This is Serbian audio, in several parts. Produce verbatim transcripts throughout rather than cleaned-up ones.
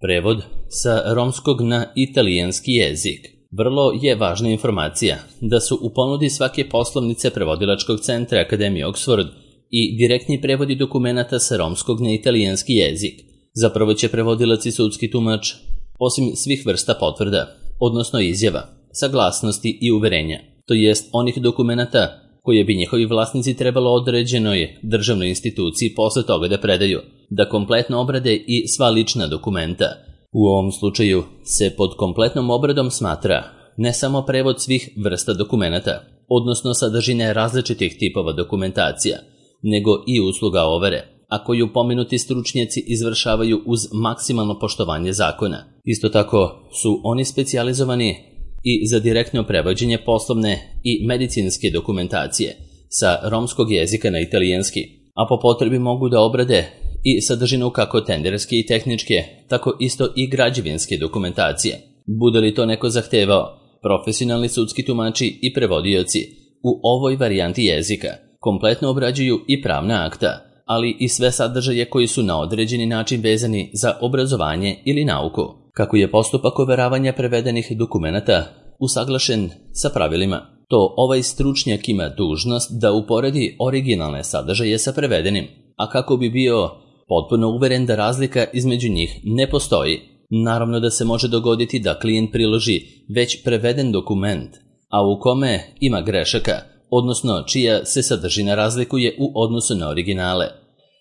Prevod sa romskog na italijanski jezik. Vrlo je važna informacija da su u ponudi svake poslovnice prevodilačkog centra Akademije Oxford i direktni prevodi dokumenata sa romskog na italijanski jezik. Zapravo će prevodilac i sudski tumač, osim svih vrsta potvrda, odnosno izjava, saglasnosti i uverenja, to jest onih dokumenata koje bi njihovi vlasnici trebalo određenoj državnoj instituciji posle toga da predaju, da kompletno obrade i sva lična dokumenta. U ovom slučaju se pod kompletnom obradom smatra ne samo prevod svih vrsta dokumenata, odnosno sadržine različitih tipova dokumentacija, nego i usluga overe, a koju pomenuti stručnjaci izvršavaju uz maksimalno poštovanje zakona. Isto tako su oni specijalizovani i za direktno prevođenje poslovne i medicinske dokumentacije sa romskog jezika na italijanski, a po potrebi mogu da obrade i sadržinu kako tenderske i tehničke, tako isto i građevinske dokumentacije. Bude li to neko zahtevao, profesionalni sudski tumači i prevodioci u ovoj varijanti jezika kompletno obrađuju i pravna akta, ali i sve sadržaje koji su na određeni način vezani za obrazovanje ili nauku. Kako je postupak overavanja prevedenih dokumenata usaglašen sa pravilima, to ovaj stručnjak ima dužnost da uporedi originalne sadržaje sa prevedenim, a kako bi bio potpuno uveren da razlika između njih ne postoji. Naravno da se može dogoditi da klijent priloži već preveden dokument, a u kome ima grešaka, odnosno čija se sadržina razlikuje u odnosu na originale.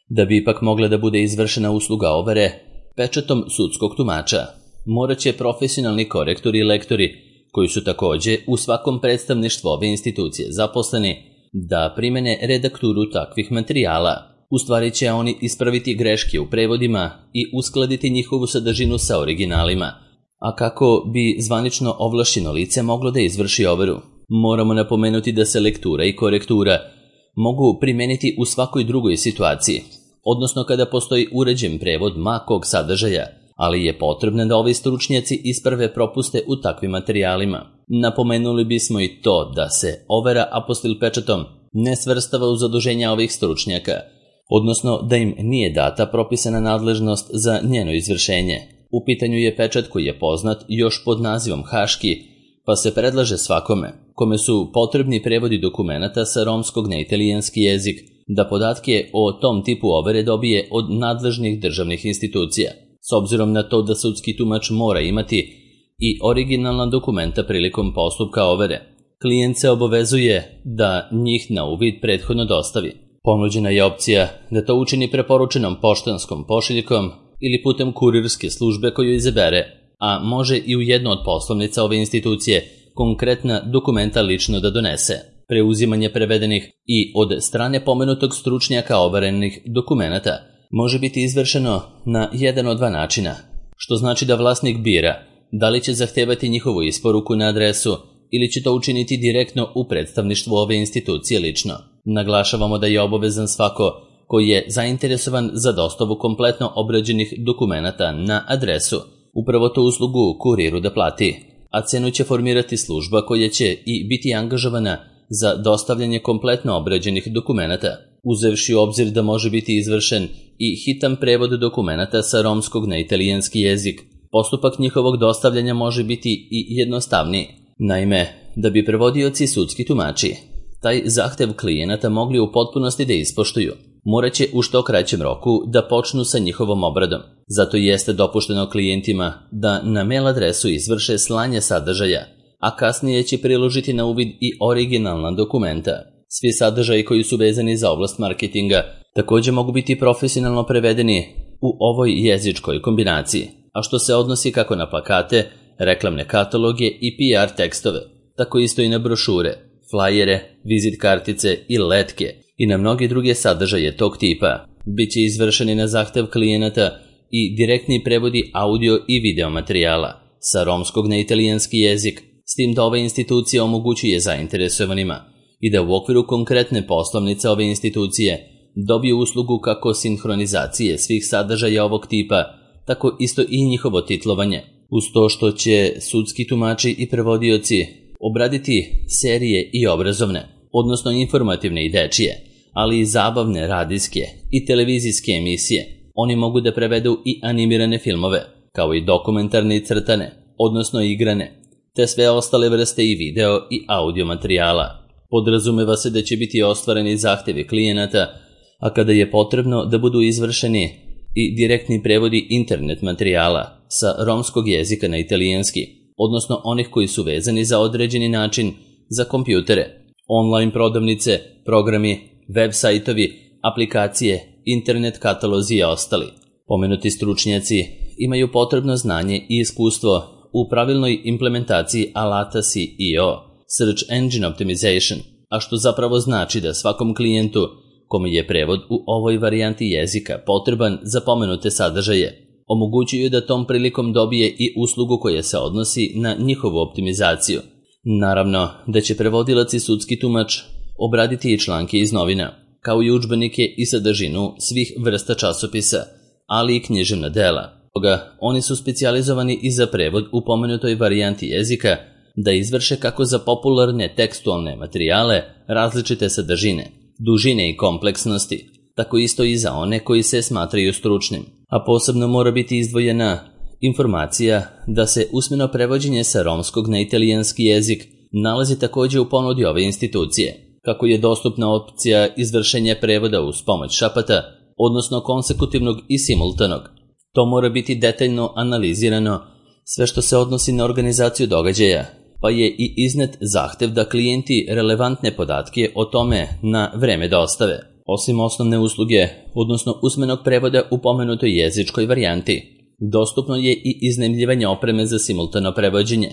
Da bi ipak mogla da bude izvršena usluga overe pečatom sudskog tumača, morat će profesionalni korektori i lektori, koji su takođe u svakom predstavništvu ove institucije zaposleni, da primene redakturu takvih materijala. U stvari će oni ispraviti greške u prevodima i uskladiti njihovu sadržinu sa originalima. A kako bi zvanično ovlašćeno lice moglo da izvrši overu? Moramo napomenuti da se lektura i korektura mogu primeniti u svakoj drugoj situaciji, odnosno kada postoji uređen prevod ma kog sadržaja, ali je potrebno da ovi stručnjaci isprave propuste u takvim materijalima. Napomenuli bismo i to da se overa apostil pečatom ne svrstava u zaduženja ovih stručnjaka, odnosno da im nije data propisana nadležnost za njeno izvršenje. U pitanju je pečat koji je poznat još pod nazivom haški, pa se predlaže svakome kome su potrebni prevodi dokumenata sa romskog na italijanski jezik da podatke o tom tipu overe dobije od nadležnih državnih institucija. S obzirom na to da sudski tumač mora imati i originalna dokumenta prilikom postupka overe, klijent se obavezuje da njih na uvid prethodno dostavi. Ponuđena je opcija da to učini preporučenom poštanskom pošiljkom ili putem kurirske službe koju izabere, a može i u jednu od poslovnica ove institucije konkretna dokumenta lično da donese. Preuzimanje prevedenih i od strane pomenutog stručnjaka overenih dokumenata može biti izvršeno na jedan od dva načina, što znači da vlasnik bira da li će zahtevati njihovu isporuku na adresu ili će to učiniti direktno u predstavništvu ove institucije lično. Naglašavamo da je obavezan svako koji je zainteresovan za dostavu kompletno obrađenih dokumenata na adresu upravo tu uslugu kuriru da plati, a cenu će formirati služba koja će i biti angažovana za dostavljanje kompletno obrađenih dokumenata, uzevši u obzir da može biti izvršen i hitan prevod dokumenata sa romskog na italijanski jezik. Postupak njihovog dostavljanja može biti i jednostavniji. Naime, da bi prevodioci sudski tumači taj zahtev klijenata mogli u potpunosti da ispoštuju, morat će u što kraćem roku da počnu sa njihovom obradom. Zato jeste dopušteno klijentima da na mail adresu izvrše slanje sadržaja, a kasnije će priložiti na uvid i originalna dokumenta. Svi sadržaji koji su vezani za oblast marketinga takođe mogu biti profesionalno prevedeni u ovoj jezičkoj kombinaciji, a što se odnosi kako na plakate, reklamne kataloge i P R tekstove, tako isto i na brošure, flajere, vizit kartice i letke i na mnoge druge sadržaje tog tipa. Biće izvršeni na zahtev klijenata i direktni prevodi audio i video materijala sa romskog na italijanski jezik, s tim da ova institucija omogućuje zainteresovanima i da u okviru konkretne poslovnice ove institucije dobiju uslugu kako sinhronizacije svih sadržaja ovog tipa, tako isto i njihovo titlovanje, uz to što će sudski tumači i prevodioci obraditi serije i obrazovne, odnosno informativne i dečije, ali i zabavne radijske i televizijske emisije. Oni mogu da prevedu i animirane filmove, kao i dokumentarne i crtane, odnosno igrane, te sve ostale vrste i video i audio materijala. Podrazumeva se da će biti ostvareni zahtevi klijenata, a kada je potrebno da budu izvršeni i direktni prevodi internet materijala sa romskog jezika na italijanski, odnosno onih koji su vezani za određeni način za kompjutere, online prodavnice, programi, web sajtovi, aplikacije, internet katalozi i ostali. Pomenuti stručnjaci imaju potrebno znanje i iskustvo u pravilnoj implementaciji alata S E O, Search Engine Optimization, a što zapravo znači da svakom klijentu kome je prevod u ovoj varijanti jezika potreban za pomenute sadržaje, omogućuju da tom prilikom dobije i uslugu koja se odnosi na njihovu optimizaciju. Naravno da će prevodilac i sudski tumač obraditi i članke iz novina, kao i udžbenike i sadržinu svih vrsta časopisa, ali i književna dela. Toga, oni su specijalizovani i za prevod u pomenutoj varijanti jezika da izvrše kako za popularne tekstualne materijale različite sadržine, dužine i kompleksnosti, tako isto i za one koji se smatraju stručnim. A posebno mora biti izdvojena informacija da se usmeno prevođenje sa romskog na italijanski jezik nalazi također u ponudi ove institucije, kako je dostupna opcija izvršenja prevoda uz pomoć šapata, odnosno konsekutivnog i simultanog. To mora biti detaljno analizirano sve što se odnosi na organizaciju događaja, pa je i iznet zahtev da klijenti relevantne podatke o tome na vreme dostave. Osim osnovne usluge, odnosno usmenog prevoda u pomenutoj jezičkoj varijanti, dostupno je i iznajmljivanje opreme za simultano prevođenje,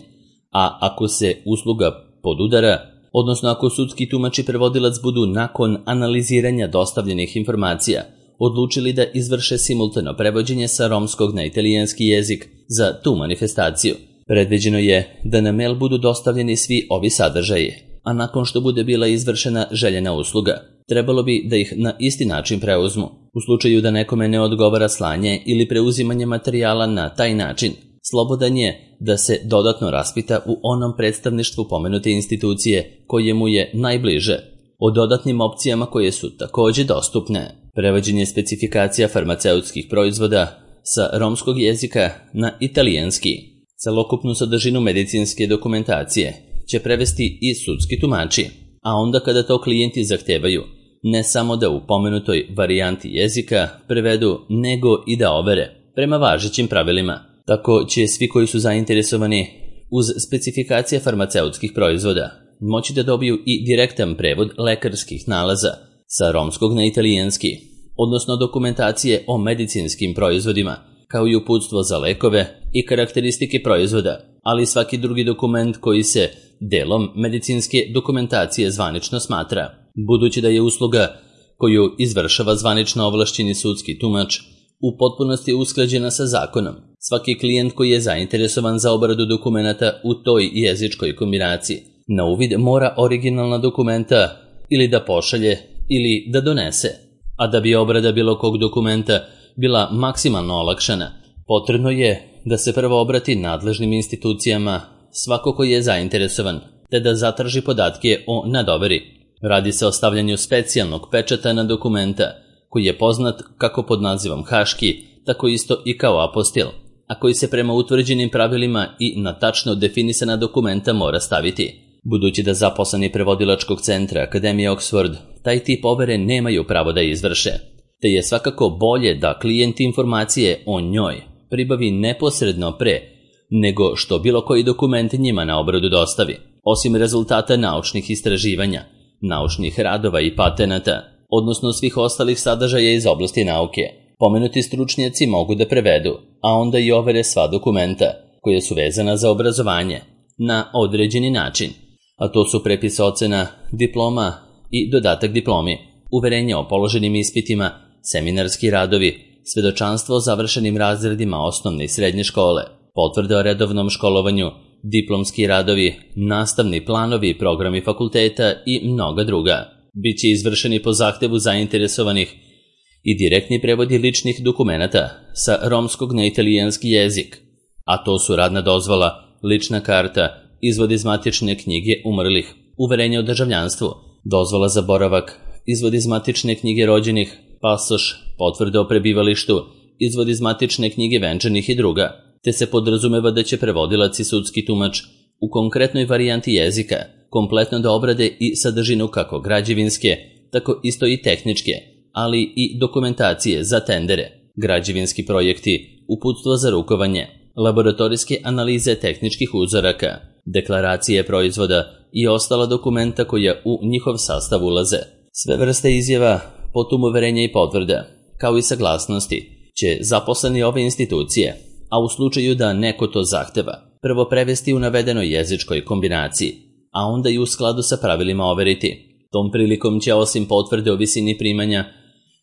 a ako se usluga podudara, odnosno ako sudski tumač i prevodilac budu nakon analiziranja dostavljenih informacija odlučili da izvrše simultano prevođenje sa romskog na italijanski jezik za tu manifestaciju, predviđeno je da na mail budu dostavljeni svi ovi sadržaji, a nakon što bude bila izvršena željena usluga, trebalo bi da ih na isti način preuzmu. U slučaju da nekome ne odgovara slanje ili preuzimanje materijala na taj način, slobodan je da se dodatno raspita u onom predstavništvu pomenute institucije koje mu je najbliže, o dodatnim opcijama koje su također dostupne. Prevođenje specifikacija farmaceutskih proizvoda sa romskog jezika na italijanski. Celokupnu sadržinu medicinske dokumentacije će prevesti i sudski tumači, a onda kada to klijenti zahtevaju, ne samo da u pomenutoj varijanti jezika prevedu, nego i da overe prema važećim pravilima. Tako će svi koji su zainteresovani uz specifikacije farmaceutskih proizvoda moći da dobiju i direktan prevod lekarskih nalaza sa romskog na italijanski, odnosno dokumentacije o medicinskim proizvodima, kao i uputstvo za lekove i karakteristike proizvoda, ali i svaki drugi dokument koji se delom medicinske dokumentacije zvanično smatra. Budući da je usluga koju izvršava zvanično ovlašćeni sudski tumač u potpunosti usklađena sa zakonom, svaki klijent koji je zainteresovan za obradu dokumenata u toj jezičkoj kombinaciji na uvid mora originalna dokumenta ili da pošalje ili da donese. A da bi obrada bilo kog dokumenta bila maksimalno olakšana, potrebno je da se prvo obrati nadležnim institucijama svako koji je zainteresovan, te da zatraži podatke o nadoveri. Radi se o stavljanju specijalnog pečata na dokumenta, koji je poznat kako pod nazivom haški, tako isto i kao apostil, a koji se prema utvrđenim pravilima i na tačno definisana dokumenta mora staviti. Budući da zaposleni prevodilačkog centra Akademije Oxford taj tip overe nemaju pravo da izvrše, te je svakako bolje da klijent informacije o njoj pribavi neposredno pre nego što bilo koji dokument njima na obradu dostavi, osim rezultata naučnih istraživanja, naučnih radova i patenata, odnosno svih ostalih sadržaja iz oblasti nauke. Pomenuti stručnjaci mogu da prevedu, a onda i overe sva dokumenta koje su vezana za obrazovanje na određeni način, a to su prepis ocena, diploma i dodatak diplomi, uverenje o položenim ispitima, seminarski radovi, svedočanstvo o završenim razredima osnovne i srednje škole, potvrde o redovnom školovanju, diplomski radovi, nastavni planovi i programi fakulteta i mnoga druga. Biće izvršeni po zahtevu zainteresovanih i direktni prevodi ličnih dokumenata sa romskog na italijanski jezik, a to su radna dozvola, lična karta, izvod iz matične knjige umrlih, uverenje o državljanstvu, dozvola za boravak, izvod iz matične knjige rođenih, pasoš, potvrde o prebivalištu, izvod iz matične knjige venčanih i druga. te se podrazumeva da će prevodilac i sudski tumač u konkretnoj varijanti jezika kompletno da obrade i sadržinu kako građevinske, tako isto i tehničke, ali i dokumentacije za tendere, građevinski projekti, uputstvo za rukovanje, laboratorijske analize tehničkih uzoraka, deklaracije proizvoda i ostala dokumenta koja u njihov sastav ulaze. Sve vrste izjava, potom uverenja i potvrda, kao i saglasnosti, će zaposleni ove institucije, a u slučaju da neko to zahteva, prvo prevesti u navedenoj jezičkoj kombinaciji, a onda i u skladu sa pravilima overiti. Tom prilikom će osim potvrde o visini primanja,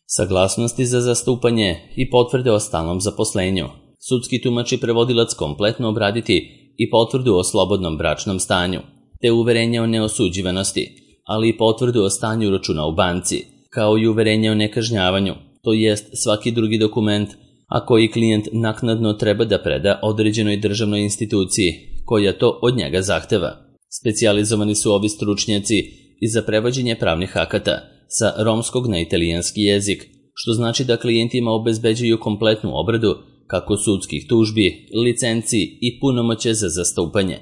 saglasnosti za zastupanje i potvrde o stalnom zaposlenju, sudski tumač i prevodilac kompletno obraditi i potvrdu o slobodnom bračnom stanju, te uverenje o neosuđivanosti, ali i potvrdu o stanju računa u banci, kao i uverenje o nekažnjavanju, to jest svaki drugi dokument, a koji klijent naknadno treba da preda određenoj državnoj instituciji koja to od njega zahteva. Specijalizovani su ovi stručnjaci i za prevođenje pravnih akata sa romskog na italijanski jezik, što znači da klijentima obezbeđuju kompletnu obradu kako sudskih tužbi, licenci i punomoće za zastupanje,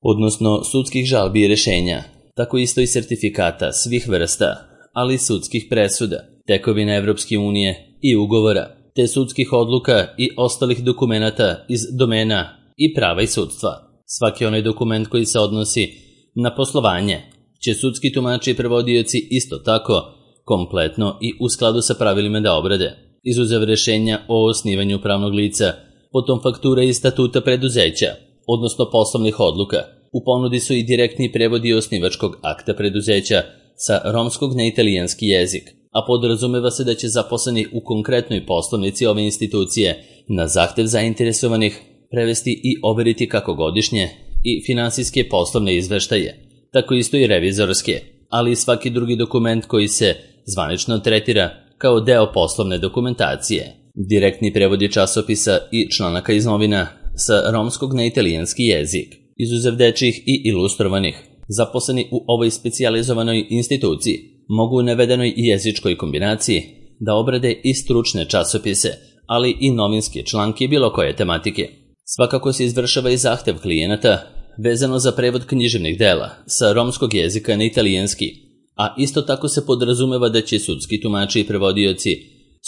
odnosno sudskih žalbi i rešenja, tako isto i sertifikata svih vrsta, ali i sudskih presuda, tekovina Evropske unije i ugovora, te sudskih odluka i ostalih dokumenata iz domena i prava i sudstva. Svaki onaj dokument koji se odnosi na poslovanje će sudski tumači i prevodioci isto tako kompletno i u skladu sa pravilima da obrade, izuzev rešenja o osnivanju pravnog lica, potom faktura i statuta preduzeća, odnosno poslovnih odluka. U ponudi su i direktni prevodi osnivačkog akta preduzeća sa romskog na italijanski jezik, a podrazumeva se da će zaposleni u konkretnoj poslovnici ove institucije na zahtev zainteresovanih prevesti i overiti kako godišnje i finansijske poslovne izveštaje, tako isto i revizorske, ali i svaki drugi dokument koji se zvanično tretira kao deo poslovne dokumentacije. Direktni prevodi časopisa i članaka iz novina sa romskog na italijanski jezik, izuzev dečjih i ilustrovanih, zaposleni u ovoj specijalizovanoj instituciji mogu u navedenoj jezičkoj kombinaciji da obrade i stručne časopise, ali i novinske članke bilo koje tematike. Svakako se izvršava i zahtev klijenata vezano za prevod književnih dela sa romskog jezika na italijanski, a isto tako se podrazumeva da će sudski tumači i prevodioci,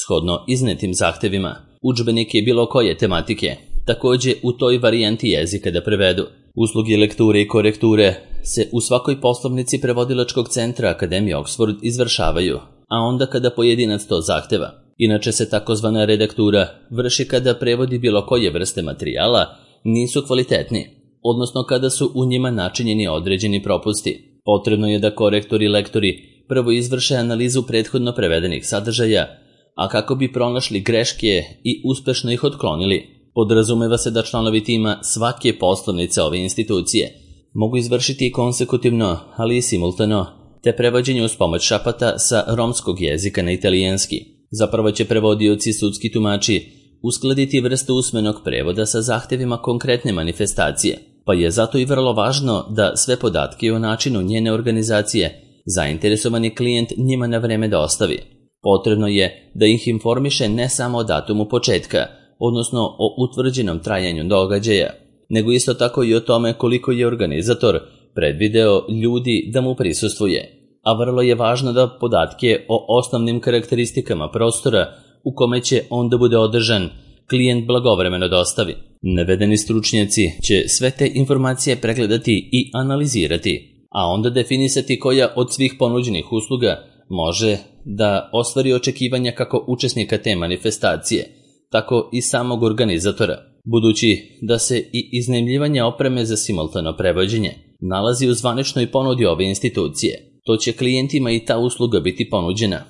shodno iznetim zahtevima, udžbenike bilo koje tematike, takođe u toj varijanti jezika da prevedu. Usluge lekture i korekture se u svakoj poslovnici prevodilačkog centra Akademije Oxford izvršavaju, a onda kada pojedinac to zahteva. Inače se takozvana redaktura vrši kada prevodi bilo koje vrste materijala nisu kvalitetni, odnosno kada su u njima načinjeni određeni propusti. Potrebno je da korektori i lektori prvo izvrše analizu prethodno prevedenih sadržaja, a kako bi pronašli greške i uspešno ih otklonili. Podrazumeva se da članovi tima svake poslovnice ove institucije mogu izvršiti konsekutivno, ali i simultano, te prevođenje uz pomoć šapata sa romskog jezika na italijanski. Zapravo će prevodioci i sudski tumači uskladiti vrstu usmenog prevoda sa zahtevima konkretne manifestacije, pa je zato i vrlo važno da sve podatke o načinu njene organizacije zainteresovani klijent njima na vreme dostavi. Potrebno je da ih informiše ne samo o datumu početka, odnosno o utvrđenom trajanju događaja, nego isto tako i o tome koliko je organizator predvideo ljudi da mu prisustvuje, a vrlo je važno da podatke o osnovnim karakteristikama prostora u kome će onda bude održan klijent blagovremeno dostavi. Navedeni stručnjaci će sve te informacije pregledati i analizirati, a onda definisati koja od svih ponuđenih usluga može da ostvari očekivanja kako učesnika te manifestacije, tako i samog organizatora, budući da se i iznajmljivanje opreme za simultano prevođenje nalazi u zvaničnoj ponudi ove institucije. To će klijentima i ta usluga biti ponuđena,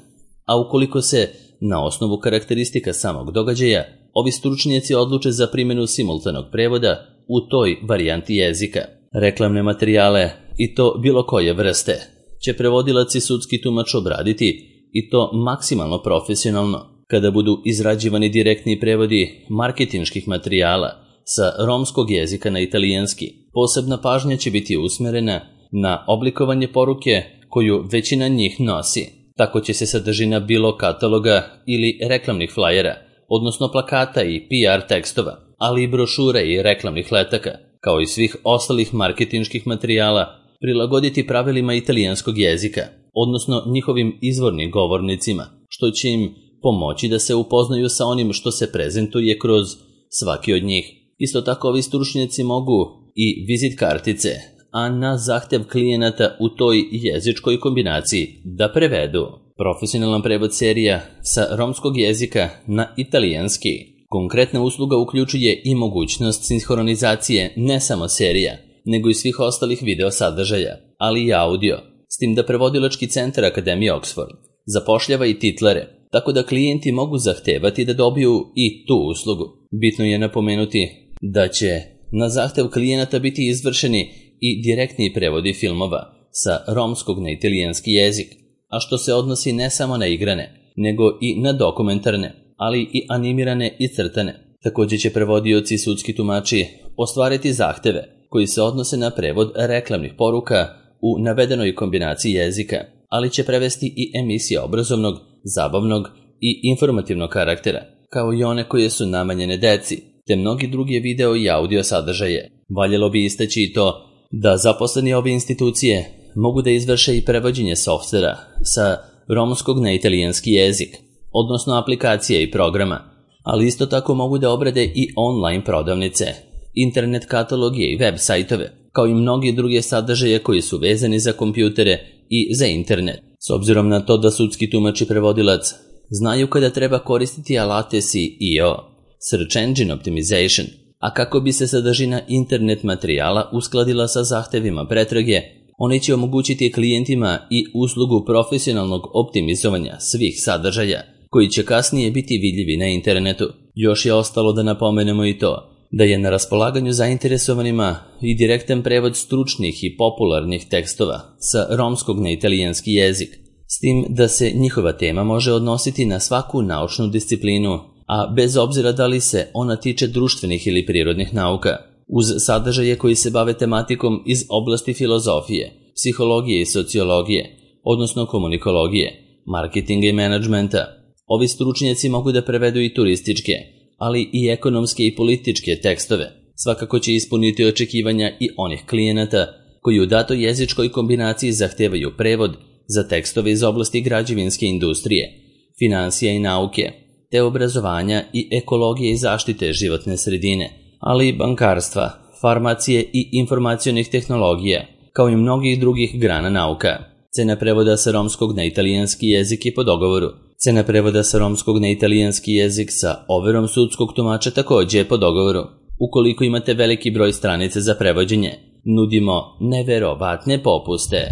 a ukoliko se na osnovu karakteristika samog događaja ovi stručnjaci odluče za primjenu simultanog prevoda u toj varijanti jezika. Reklamne materijale, i to bilo koje vrste, će prevodilac i sudski tumač obraditi, i to maksimalno profesionalno, kada budu izrađivani direktni prevodi marketinških materijala sa romskog jezika na italijanski. Posebna pažnja će biti usmerena na oblikovanje poruke koju većina njih nosi. Tako će se sadržina bilo kataloga ili reklamnih flajera, odnosno plakata i P R tekstova, ali i brošura i reklamnih letaka, kao i svih ostalih marketinških materijala, prilagoditi pravilima italijanskog jezika, odnosno njihovim izvornim govornicima, što će im pomoći da se upoznaju sa onim što se prezentuje kroz svaki od njih. Isto tako ovi stručnjaci mogu i vizit kartice, a na zahtev klijenata u toj jezičkoj kombinaciji da prevedu. Profesionalan prevod serija sa romskog jezika na italijanski. Konkretna usluga uključuje i mogućnost sinhronizacije ne samo serija, nego i svih ostalih video sadržaja, ali i audio, s tim da prevodilački centar Akademije Oxford zapošljava i titlere, tako da klijenti mogu zahtevati da dobiju i tu uslugu. Bitno je napomenuti da će na zahtev klijenata biti izvršeni i direktni prevodi filmova sa romskog na italijanski jezik, a što se odnosi ne samo na igrane, nego i na dokumentarne, ali i animirane i crtane. Također će prevodioci i sudski tumači ostvariti zahteve koji se odnose na prevod reklamnih poruka u navedenoj kombinaciji jezika, ali će prevesti i emisije obrazovnog, zabavnog i informativnog karaktera, kao i one koje su namenjene deci, te mnogi drugi video i audio sadržaje. Valjalo bi istaći i to da zaposleni ove institucije mogu da izvrše i prevođenje softvera sa romskog na italijanski jezik, odnosno aplikacije i programa, ali isto tako mogu da obrade i online prodavnice, internet kataloge i web sajtove, kao i mnogi druge sadržaje koji su vezani za kompjutere i za internet. S obzirom na to da sudski tumač i prevodilac znaju kada treba koristiti alate S E O, Search Engine Optimization, a kako bi se sadržina internet materijala uskladila sa zahtevima pretrage, oni će omogućiti klijentima i uslugu profesionalnog optimizovanja svih sadržaja, koji će kasnije biti vidljivi na internetu. Još je ostalo da napomenemo i to da je na raspolaganju zainteresovanima i direktan prevod stručnih i popularnih tekstova sa romskog na italijanski jezik, s tim da se njihova tema može odnositi na svaku naučnu disciplinu, a bez obzira da li se ona tiče društvenih ili prirodnih nauka, uz sadržaje koji se bave tematikom iz oblasti filozofije, psihologije i sociologije, odnosno komunikologije, marketinga i menadžmenta. Ovi stručnjaci mogu da prevedu i turističke, ali i ekonomske i političke tekstove. Svakako će ispuniti očekivanja i onih klijenata koji u datoj jezičkoj kombinaciji zahtevaju prevod za tekstove iz oblasti građevinske industrije, finansija i nauke, te obrazovanja i ekologije i zaštite životne sredine, ali i bankarstva, farmacije i informacionih tehnologija, kao i mnogih drugih grana nauka. Cena prevoda sa romskog na italijanski jezik je po dogovoru. Cena prevoda sa romskog na italijanski jezik sa overom sudskog tumača također je po dogovoru. Ukoliko imate veliki broj stranice za prevođenje, nudimo neverovatne popuste.